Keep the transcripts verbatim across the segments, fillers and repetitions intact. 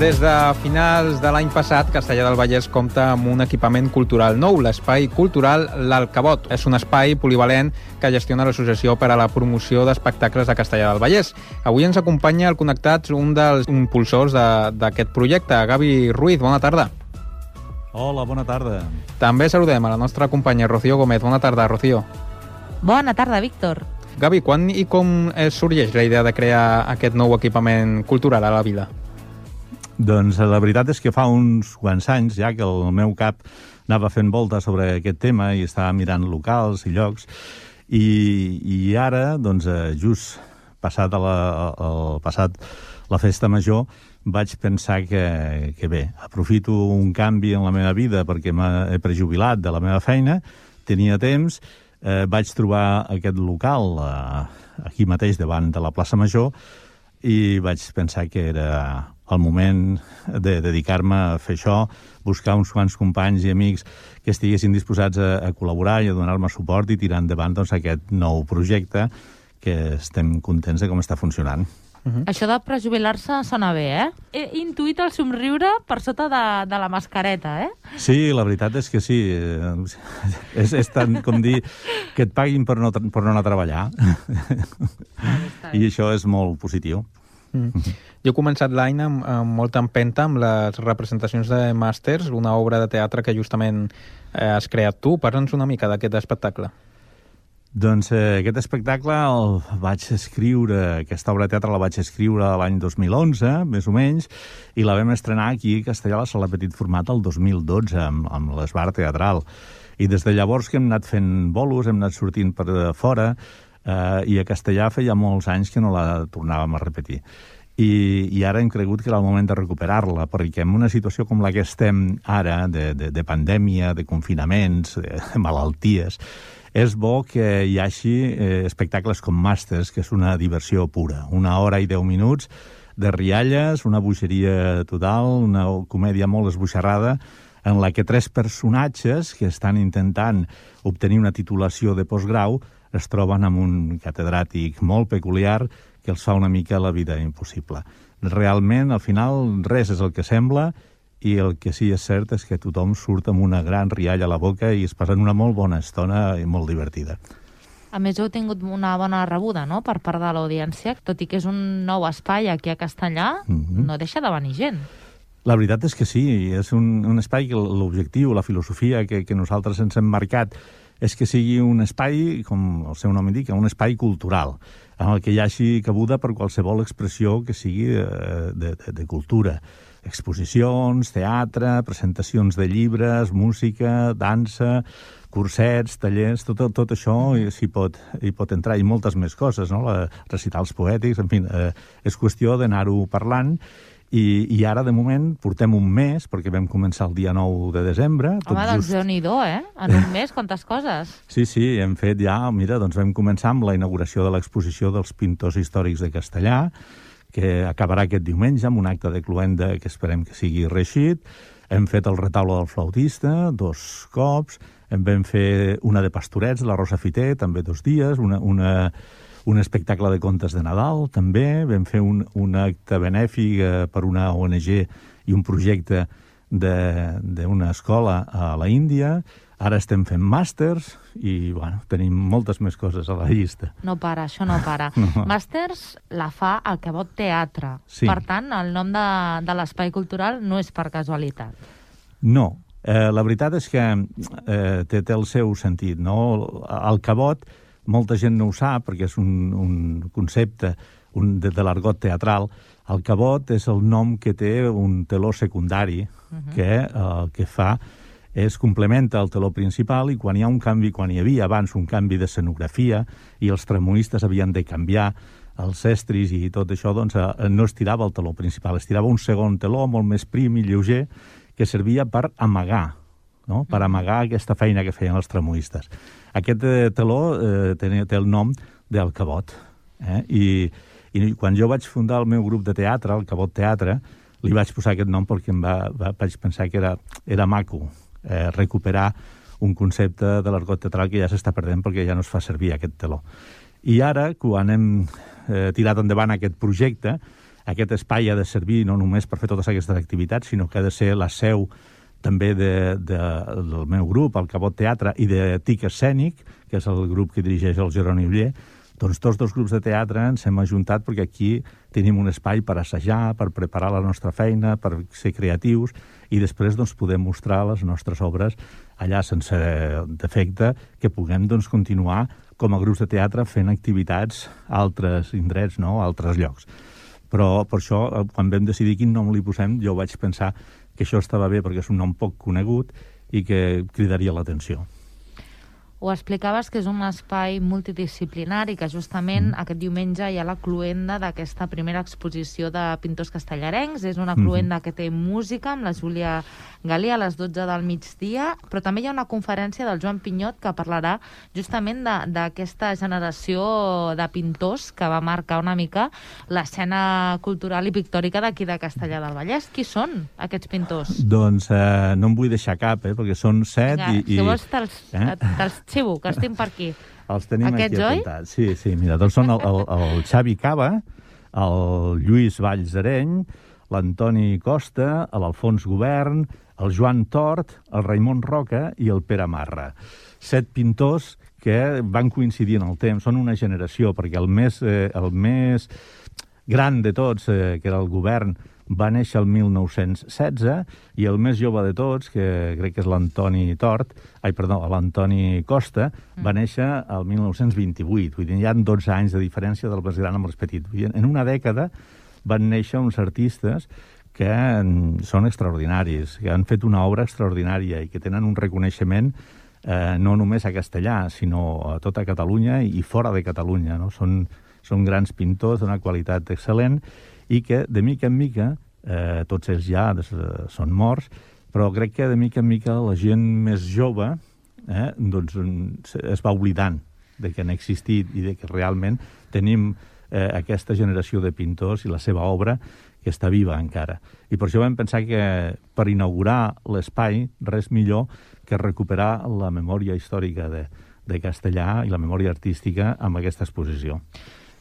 Des de finals de l'any passat, Castellar del Vallès compta amb un equipament cultural nou, l'espai cultural L'Alcabot. És un espai polivalent que gestiona l'Associació per a la Promoció d'Espectacles de Castellar del Vallès. Avui ens acompanya al Connectats un dels impulsors d'aquest projecte, Gavi Ruiz. Bona tarda. Hola, bona tarda. També saludem a la nostra companya Rocío Gómez. Bona tarda, Rocío. Bona tarda, Víctor. Gavi, quan i com sorgeix la idea de crear aquest nou equipament cultural a la vila? Doncs la veritat és que fa uns quants anys ja que el meu cap anava fent voltes sobre aquest tema i estava mirant locals i llocs i, i ara, doncs, just passat, a la, el, passat la festa major, vaig pensar que, que bé, aprofito un canvi en la meva vida perquè m'he prejubilat de la meva feina, tenia temps, eh, vaig trobar aquest local eh, aquí mateix davant de la plaça Major i vaig pensar que era el moment de dedicar-me a fer això, buscar uns quants companys i amics que estiguessin disposats a, a col·laborar i a donar-me suport i tirar endavant doncs, aquest nou projecte que estem contents de com està funcionant. Uh-huh. Això de prejubilar-se sona bé, eh? He intuït el somriure per sota de, de la mascareta, eh? Sí, la veritat és que sí. És, és tant com dir que et paguin per no, per no anar a treballar. I això és molt positiu. Mm. Jo he començat l'any amb, amb molta empenta amb les representacions de Màsters, una obra de teatre que justament eh, has creat tu. Parla'ns una mica d'aquest espectacle. Doncs eh, aquest espectacle el vaig escriure, aquesta obra de teatre la vaig escriure l'any dos mil onze, més o menys, i la vam estrenar aquí a Castellar, a la Sala Petit Format, el dos mil dotze, amb, amb l'Esbar Teatral. I des de llavors que hem anat fent bolos, hem anat sortint per fora, eh, i a Castellar feia molts anys que no la tornàvem a repetir. I, i ara hem cregut que era el moment de recuperar-la, perquè en una situació com la que estem ara, de, de, de pandèmia, de confinaments, de, de malalties, és bo que hi hagi eh, espectacles com Màsters, que és una diversió pura. Una hora i deu minuts de rialles, una bogeria total, una comèdia molt esboixarrada, en la que tres personatges que estan intentant obtenir una titulació de postgrau es troben amb un catedràtic molt peculiar que els fa una mica la vida impossible. Realment, al final, res és el que sembla, i el que sí és cert és que tothom surt amb una gran rialla a la boca i es passen una molt bona estona i molt divertida. A més, heu tingut una bona rebuda, no?, per part de l'audiència, tot i que és un nou espai aquí a Castellar, mm-hmm. no deixa de venir gent. La veritat és que sí, és un, un espai que l'objectiu, la filosofia que, que nosaltres ens hem marcat és que sigui un espai, com el seu nom indica, un espai cultural, en el que hi hagi cabuda per qualsevol expressió que sigui de, de, de cultura. Exposicions, teatre, presentacions de llibres, música, dansa, cursets, tallers, tot, tot això s'hi pot, hi pot entrar, i moltes més coses, no? La, recitals poètics, en fi, eh, és qüestió d'anar-ho parlant. I, i ara, de moment, portem un mes, perquè vam començar el dia nou de desembre. Tot Home, doncs just... Déu-n'hi-do, eh? En un mes, quantes coses. Sí, sí, hem fet ja, mira, doncs vam començar amb la inauguració de l'exposició dels pintors històrics de Castellar, que acabarà aquest diumenge amb un acte de cloenda que esperem que sigui reeixit. Hem fet el retaule del flautista dos cops, en vam fer una de Pastorets, la Rosa Fiter, també dos dies, una... una un espectacle de contes de Nadal, també. Vam fer un, un acte benèfic eh, per una O N G i un projecte d'una escola a la Índia. Ara estem fent màsters i, bueno, tenim moltes més coses a la llista. No para, això no para. No. Màsters la fa Alcabot Teatre. Sí. Per tant, el nom de, de l'espai cultural no és per casualitat. No. Eh, la veritat és que eh, té, té el seu sentit, no? Alcabot, molta gent no ho sap, perquè és un, un concepte un, de, de l'argot teatral. El cabot és el nom que té un teló secundari, uh-huh. que el eh, que fa és complementa el teló principal, i quan hi ha un canvi, quan hi havia abans un canvi d'escenografia i els tramoistes havien de canviar els estris i tot això, doncs eh, no es tirava el teló principal, es tirava un segon teló molt més prim i lleuger que servia per amagar, no? Per amagar aquesta feina que feien els tramoistes. Aquest eh, teló eh, té, té el nom d'Alcabot. Eh? I, I quan jo vaig fundar el meu grup de teatre, el Cabot Teatre, li vaig posar aquest nom perquè em va, va, vaig pensar que era, era maco eh, recuperar un concepte de l'argot teatral que ja s'està perdent perquè ja no es fa servir aquest teló. I ara, quan hem eh, tirat endavant aquest projecte, aquest espai ha de servir no només per fer totes aquestes activitats, sinó que ha de ser la seu també de, de, del meu grup, el Cabot Teatre, i de Tic Escènic, que és el grup que dirigeix el Jeroni Uller. Doncs tots dos grups de teatre ens hem ajuntat perquè aquí tenim un espai per assajar, per preparar la nostra feina, per ser creatius, i després doncs, podem mostrar les nostres obres allà sense defecte, que puguem doncs, continuar com a grups de teatre fent activitats a altres indrets, no? a altres llocs. Però per això, quan vam decidir quin nom li posem, jo vaig pensar que això estava bé perquè és un nom poc conegut i que cridaria l'atenció. Ho explicaves que és un espai multidisciplinari, que justament mm. aquest diumenge hi ha la cluenda d'aquesta primera exposició de pintors castellarencs. És una cluenda mm-hmm. que té música amb la Júlia Galí a les dotze del migdia, però també hi ha una conferència del Joan Pinyot que parlarà justament d'aquesta generació de pintors que va marcar una mica l'escena cultural i pictòrica d'aquí de Castellar del Vallès. Qui són aquests pintors? Doncs eh, no em vull deixar cap, eh, perquè són set. Vinga, i, si vols te'ls eh? te xivo, que els tinc per aquí. Els tenim Aquests, aquí apuntats. Sí, sí, mira, doncs són el, el, el Xavi Cava, el Lluís Vallsareny, l'Antoni Costa, l'Alfons Govern, el Joan Tort, el Raimon Roca i el Pere Marra. Set pintors que van coincidir en el temps. Són una generació, perquè el més, eh, el més gran de tots, eh, que era el Govern, va néixer el mil nou-cents setze, i el més jove de tots, que crec que és l'Antoni Tort, ai, perdó, l'Antoni Costa, va néixer el mil nou-cents vint-i-vuit. Vull dir, hi ha dotze anys de diferència del més gran amb el més petit. En una dècada van néixer uns artistes que són extraordinaris, que han fet una obra extraordinària i que tenen un reconeixement eh, no només a Castellà, sinó a tota Catalunya i fora de Catalunya. No? Són, són grans pintors d'una qualitat excel·lent i que, de mica en mica, eh, tots ells ja des, eh, són morts, però crec que de mica en mica la gent més jove eh, doncs, es va oblidant de que han existit i de que realment tenim eh, aquesta generació de pintors i la seva obra que està viva encara. I per això vam pensar que per inaugurar l'espai res millor que recuperar la memòria històrica de, de Castellà i la memòria artística amb aquesta exposició.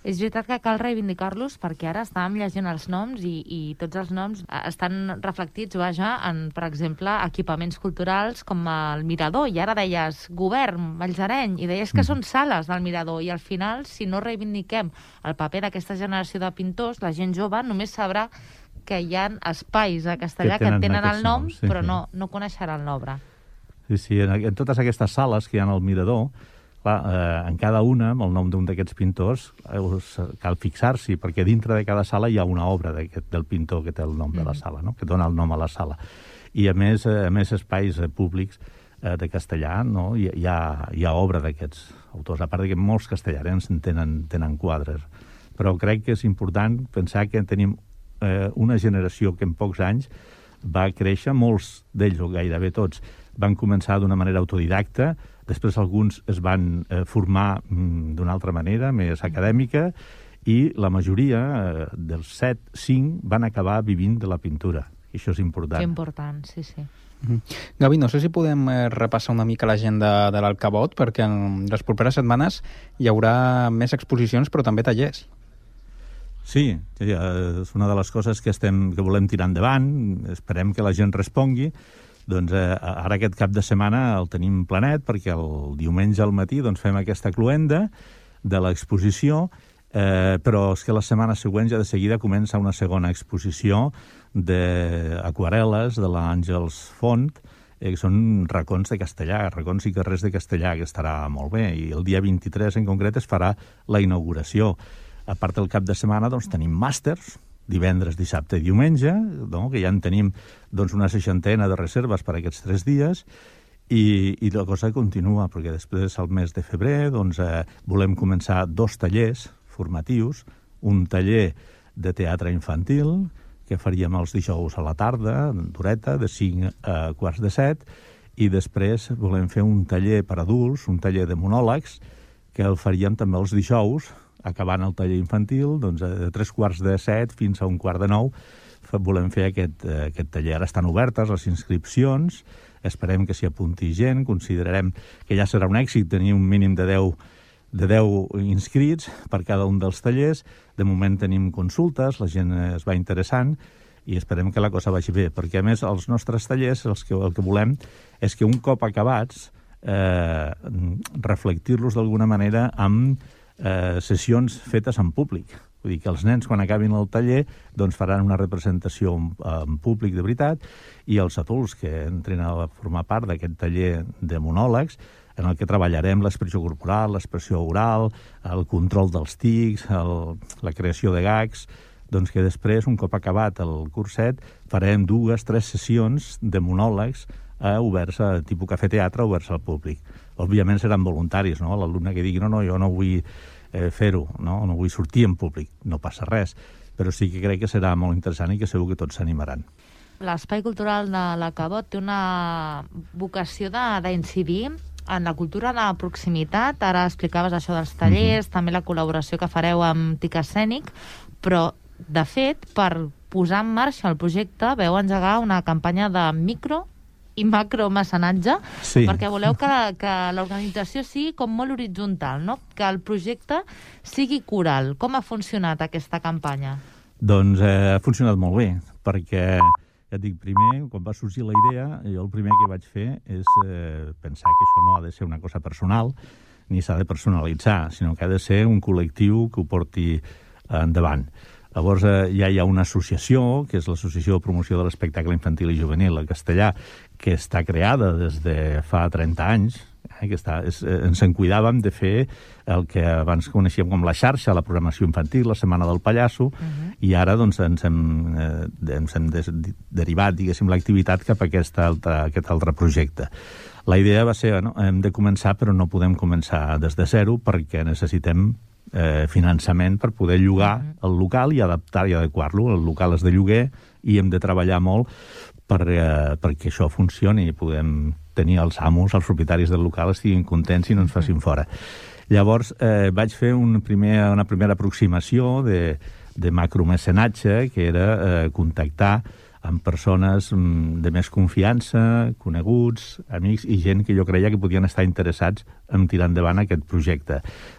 És veritat que cal reivindicar-los perquè ara estàvem llegint els noms i, i tots els noms estan reflectits, vaja, en, per exemple, equipaments culturals com el Mirador. I ara deies Govern, Vallsareny, i deies que mm. són sales del Mirador. I al final, si no reivindiquem el paper d'aquesta generació de pintors, la gent jove només sabrà que hi ha espais a Castellà que tenen, que tenen el nom, noms, sí, però sí. no, no coneixeran l'obra. Sí, sí, en, en totes aquestes sales que hi ha al Mirador, clar, eh, en cada una, amb el nom d'un d'aquests pintors, eh, cal fixar-s'hi, perquè dintre de cada sala hi ha una obra del pintor que té el nom mm. de la sala, no? que dona el nom a la sala. I a més, eh, a més espais eh, públics eh, de Castellà, no? hi, hi, ha, hi ha obra d'aquests autors, a part que molts castellarens tenen, tenen quadres. Però crec que és important pensar que tenim eh, una generació que en pocs anys va créixer, molts d'ells, o gairebé tots, van començar d'una manera autodidacta, després alguns es van eh, formar mm, d'una altra manera, més acadèmica, i la majoria eh, dels set, cinc, van acabar vivint de la pintura. I això és important. Que important, sí, sí. Mm-hmm. Gavi, no sé si podem eh, repassar una mica l'agenda de l'Alcabot, perquè en les properes setmanes hi haurà més exposicions, però també tallers. Sí, és una de les coses que, estem, que volem tirar endavant. Esperem que la gent respongui. Doncs eh, ara aquest cap de setmana el tenim planet perquè el diumenge al matí doncs, fem aquesta cluenda de l'exposició, eh, però és que la setmana següent ja de seguida comença una segona exposició d'aquarel·les de l'Àngels Font, eh, que són racons de Castellà, racons i carrers de Castellà, que estarà molt bé, i el dia vint-i-tres en concret es farà la inauguració. A part del cap de setmana doncs, tenim màsters, divendres, dissabte i diumenge, no? que ja en tenim doncs, una seixantena de reserves per aquests tres dies, i, i la cosa continua, perquè després, al mes de febrer, doncs, eh, volem començar dos tallers formatius, un taller de teatre infantil, que faríem els dijous a la tarda, d'horeta, de cinc a quarts de set, i després volem fer un taller per adults, un taller de monòlegs, que el faríem també els dijous, acabant el taller infantil, doncs, de tres quarts de set fins a un quart de nou, volem fer aquest, aquest taller. Ara estan obertes les inscripcions, esperem que s'hi apunti gent, considerarem que ja serà un èxit tenir un mínim de deu de deu inscrits per cada un dels tallers. De moment tenim consultes, la gent es va interessant i esperem que la cosa vagi bé, perquè a més els nostres tallers els que, el que volem és que un cop acabats eh, reflectir-los d'alguna manera amb eh, sessions fetes en públic. Vull dir que els nens, quan acabin el taller, doncs faran una representació en, en públic de veritat, i els adults que entren a formar part d'aquest taller de monòlegs, en el que treballarem l'expressió corporal, l'expressió oral, el control dels tics, el, la creació de gags, doncs que després, un cop acabat el curset, farem dues, tres sessions de monòlegs eh, oberts a tipus cafè-teatre, oberts al públic. Òbviament seran voluntaris, no? L'alumne que digui, no, no, jo no vull eh, fer-ho, no? no vull sortir en públic, no passa res, però sí que crec que serà molt interessant i que segur que tots s'animaran. L'Espai Cultural de l'Acabot té una vocació d'incidir en la cultura de proximitat. Ara explicaves això dels tallers, mm-hmm. també la col·laboració que fareu amb Tic Escènic, però, de fet, per posar en marxa el projecte veu engegar una campanya de micro i macromecenatge, sí. perquè voleu que, que l'organització sigui com molt horitzontal, no? Que el projecte sigui coral. Com ha funcionat aquesta campanya? Doncs eh, ha funcionat molt bé, perquè, ja et dic, primer, quan va sorgir la idea, jo el primer que vaig fer és eh, pensar que això no ha de ser una cosa personal, ni s'ha de personalitzar, sinó que ha de ser un col·lectiu que ho porti endavant. Llavors, eh, ja hi ha una associació, que és l'Associació de Promoció de l'Espectacle Infantil i Juvenil a Castellà, que està creada des de fa trenta anys, eh, que està, és, eh, ens en cuidàvem de fer el que abans coneixíem com la xarxa, la programació infantil, la Setmana del Pallasso, uh-huh. i ara doncs, ens hem, eh, ens hem des, derivat, diguéssim, l'activitat cap a aquest altre, aquest altre projecte. La idea va ser, no, hem de començar, però no podem començar des de zero, perquè necessitem Eh, finançament per poder llogar el local i adaptar i adequar-lo. El local és de lloguer i hem de treballar molt per, eh, perquè això funcioni i podem tenir els amos, els propietaris del local, estiguin contents i no ens facin fora. Llavors eh, vaig fer un primer, una primera aproximació de, de macromecenatge, que era eh, contactar amb persones de més confiança, coneguts, amics i gent que jo creia que podien estar interessats en tirar endavant aquest projecte.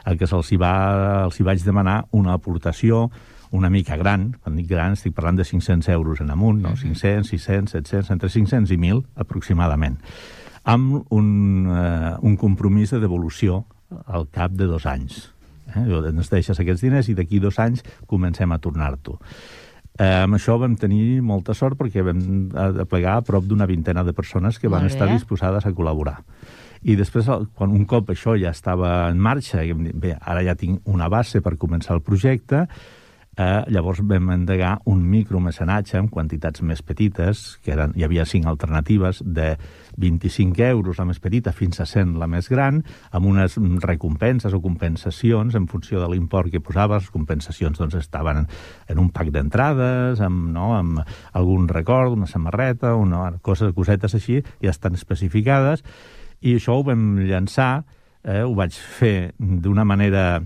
El que se'ls hi, va, els hi vaig demanar una aportació una mica gran, quan dic gran estic parlant de cinc-cents euros en amunt, no? Uh-huh. cinc-cents, sis-cents, set-cents, entre cinc-cents i mil aproximadament, amb un, uh, un compromís de devolució al cap de dos anys. Eh? Ens deixes aquests diners i d'aquí dos anys comencem a tornar-t'ho. Eh, amb això vam tenir molta sort perquè vam aplegar a prop d'una vintena de persones que van estar disposades a col·laborar. I després, quan un cop això ja estava en marxa, i vam dir, bé, ara ja tinc una base per començar el projecte, eh, llavors vam endegar un micromecenatge amb quantitats més petites, que eren, hi havia cinc alternatives, de vint-i-cinc euros la més petita fins a cent la més gran, amb unes recompenses o compensacions en funció de l'import que posaves. Les compensacions doncs, estaven en un pack d'entrades, amb, no, amb algun record, una samarreta, una, coses, cosetes així, ja estan especificades, i això ho vam llançar, eh, ho vaig fer d'una manera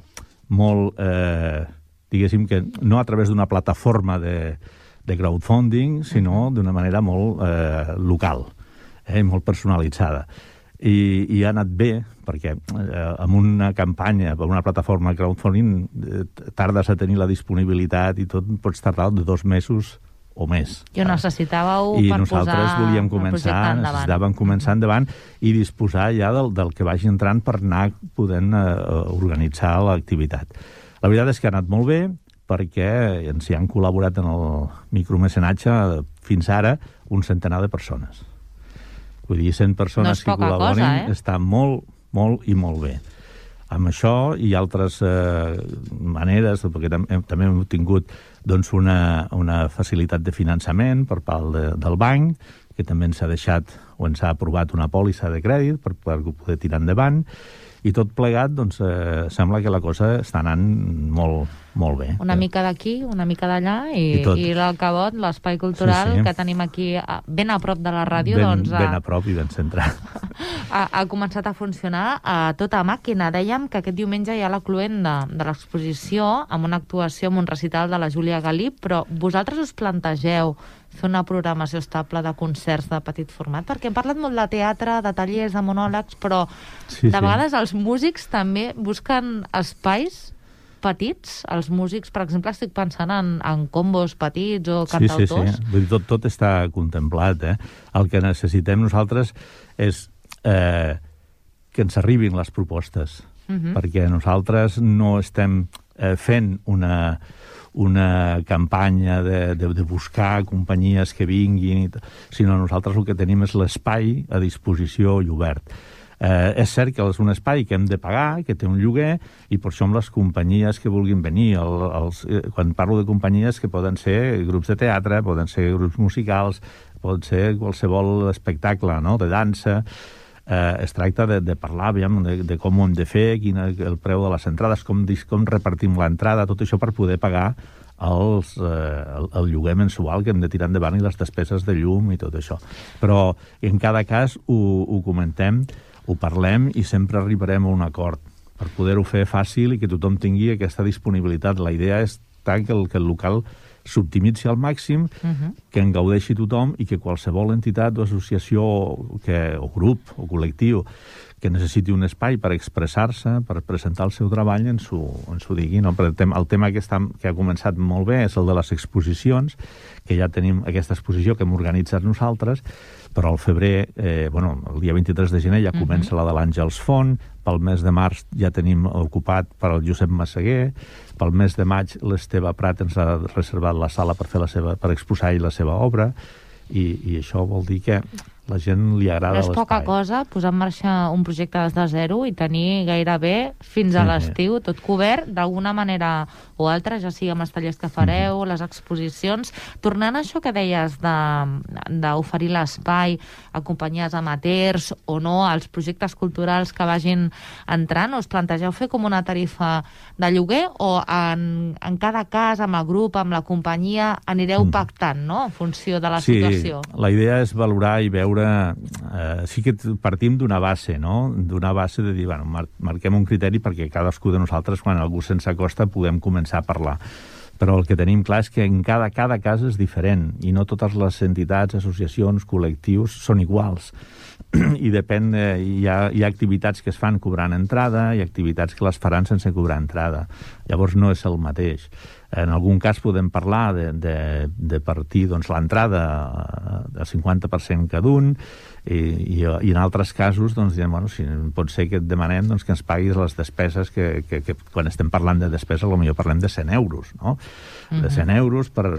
molt... Eh, diguéssim que no a través d'una plataforma de, de crowdfunding, sinó d'una manera molt eh, local, eh, molt personalitzada. I, i ha anat bé, perquè eh, amb una campanya, per una plataforma de crowdfunding, eh, tardes a tenir la disponibilitat i tot, pots tardar de dos mesos o més. I ho necessitàveu I per posar nosaltres volíem començar, necessitàvem començar endavant i disposar ja del, del que vagi entrant per anar podent eh, organitzar l'activitat. La veritat és que ha anat molt bé perquè ens hi han col·laborat en el micromecenatge fins ara un centenar de persones. Vull dir, cent persones no que col·laborin cosa, eh? Està molt, molt i molt bé. Amb això i altres eh, maneres, perquè també, també hem tingut doncs, una, una facilitat de finançament per part de, del banc, que també ens ha deixat o ens ha aprovat una pòlissa de crèdit per, per poder tirar endavant. I tot plegat, doncs, eh, sembla que la cosa està anant molt, Molt bé. Una mica d'aquí, una mica d'allà, i, I, i l'Alcabot, l'espai cultural sí, sí. que tenim aquí ben a prop de la ràdio, ben, doncs... Ben a prop i ben centrat. Ha, ha començat a funcionar a tota màquina. Dèiem que aquest diumenge hi ha la cluenda de l'exposició amb una actuació amb un recital de la Júlia Galí, però vosaltres us plantegeu fer una programació estable de concerts de petit format? Perquè hem parlat molt de teatre, de tallers, de monòlegs, però sí, de vegades sí. els músics també busquen espais petits. Els músics, per exemple, estic pensant en, en combos petits o cantautors. Sí, sí, sí. Tot, tot està contemplat. Eh? El que necessitem nosaltres és eh, que ens arribin les propostes, uh-huh. perquè nosaltres no estem eh, fent una... una campanya de, de, de buscar companyies que vinguin, sinó nosaltres el que tenim és l'espai a disposició i obert. Eh, és cert que és un espai que hem de pagar, que té un lloguer, i per això amb les companyies que vulguin venir, el, els, quan parlo de companyies que poden ser grups de teatre, poden ser grups musicals, pot ser qualsevol espectacle, no?, de dansa. Eh, es tracta de, de parlar aviam, de, de com ho hem de fer, quin és el preu de les entrades, com, com repartim l'entrada, tot això per poder pagar els, eh, el, el lloguer mensual que hem de tirar endavant i les despeses de llum i tot això. Però en cada cas ho, ho comentem, ho parlem i sempre arribarem a un acord per poder-ho fer fàcil i que tothom tingui aquesta disponibilitat. La idea és tant que el, que el local s'optimitzi al màxim, uh-huh. que en gaudeixi tothom i que qualsevol entitat o associació que, o grup o col·lectiu que necessiti un espai per expressar-se, per presentar el seu treball, ens ho, ens ho digui. No? El tema, el tema que, està, que ha començat molt bé és el de les exposicions, que ja tenim aquesta exposició que hem organitzat nosaltres, però al febrer, eh, bueno, el dia vint-i-tres de gener ja comença uh-huh. la de l'Àngels Font, pel mes de març ja tenim ocupat per al Josep Massaguer, pel mes de maig l'Esteve Prat ens ha reservat la sala per fer la seva, per exposar-hi la seva obra, i, i això vol dir que la gent li agrada l'espai. No és poca cosa posar en marxa un projecte des de zero i tenir gairebé fins a l'estiu tot cobert d'alguna manera o altra, ja sigui amb els tallers que fareu, les exposicions. Tornant a això que deies d'oferir l'espai a companyies amateurs o no, als projectes culturals que vagin entrant, us plantegeu fer com una tarifa de lloguer o en, en cada cas, amb el grup, amb la companyia, anireu pactant, no?, en funció de la sí, situació? Sí, la idea és valorar i veure Eh, sí que partim d'una base, no? D'una base de dir, bueno, mar marquem un criteri perquè cadascú de nosaltres, quan algú se'ns acosta, puguem començar a parlar. Però el que tenim clar és que en cada, cada cas és diferent i no totes les entitats, associacions, col·lectius són iguals. I depèn, de, hi, ha, hi ha activitats que es fan cobrant entrada i activitats que les faran sense cobrar entrada. Llavors no és el mateix. En algun cas podem parlar de, de, de partir doncs, l'entrada del cinquanta per cent cada un i, i, i en altres casos doncs, diem, bueno, si pot ser que et demanem doncs, que ens paguis les despeses que, que, que quan estem parlant de despeses potser parlem de cent euros, no? Uh-huh. De cent euros per,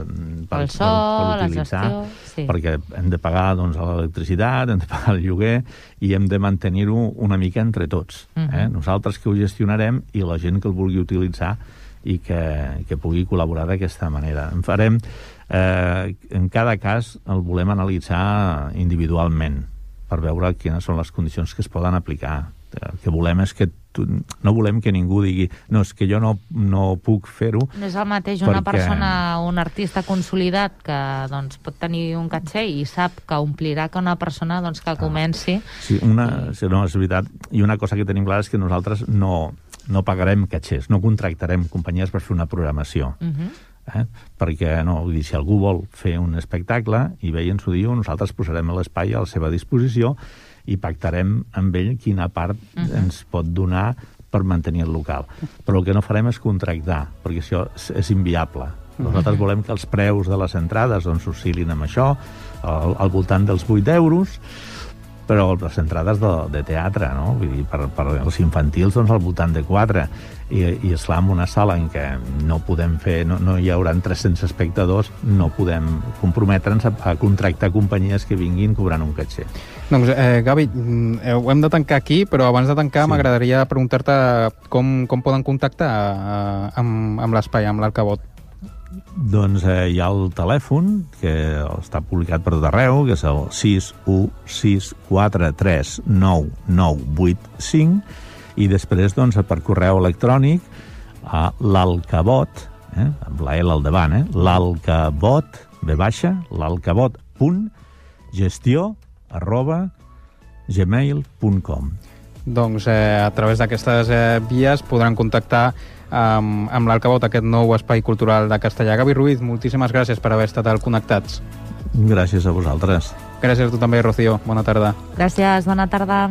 per, el so, per, per utilitzar, la gestió, sí. Perquè hem de pagar doncs, l'electricitat, hem de pagar el lloguer i hem de mantenir-ho una mica entre tots. Uh-huh. eh? Nosaltres que ho gestionarem i la gent que el vulgui utilitzar i que, que pugui col·laborar d'aquesta manera. En farem, eh, en cada cas el volem analitzar individualment per veure quines són les condicions que es poden aplicar. El que volem és que tu, no volem que ningú digui no, és que jo no, no puc fer-ho. No és el mateix una perquè... persona, un artista consolidat que doncs, pot tenir un caché i sap que omplirà que una persona doncs, que comenci. Sí, una, I... sí, no, és veritat. I una cosa que tenim clara és que nosaltres no, no pagarem catxers, no contractarem companyies per fer una programació. Uh-huh. eh? Perquè no, vull dir, si algú vol fer un espectacle i bé ens ho diu, nosaltres posarem l'espai a la seva disposició i pactarem amb ell quina part uh-huh. ens pot donar per mantenir el local. Però el que no farem és contractar, perquè això és, és inviable. Nosaltres volem que els preus de les entrades doncs, oscil·lin amb això, al, al voltant dels vuit euros, però les entrades de, de teatre, no? Vull dir, per, per els infantils, doncs, al voltant de quatre. I, i esclar, en una sala en què no podem fer, no, no hi haurà tres-cents espectadors, no podem comprometre'ns a, a contractar companyies que vinguin cobrant un caché. Doncs, eh, Gavi, eh, ho hem de tancar aquí, però abans de tancar sí. m'agradaria preguntar-te com, com poden contactar eh, amb, amb l'espai, amb l'Alcabot. Doncs eh, hi ha el telèfon, que està publicat per tot arreu, que és el sis u sis quatre tres nou nou vuit cinc, i després doncs, per correu electrònic a l'Alcabot, eh, amb la L al davant, eh, l'Alcabot, ve baixa, l'alcabot punt gestió arroba gmail punt com. Doncs eh, a través d'aquestes eh, vies podran contactar amb, amb l'Alcabot, aquest nou espai cultural de Castellar. Gavi Ruiz, moltíssimes gràcies per haver estat al Connectats. Gràcies a vosaltres. Gràcies a tu també, Rocío. Bona tarda. Gràcies, bona tarda.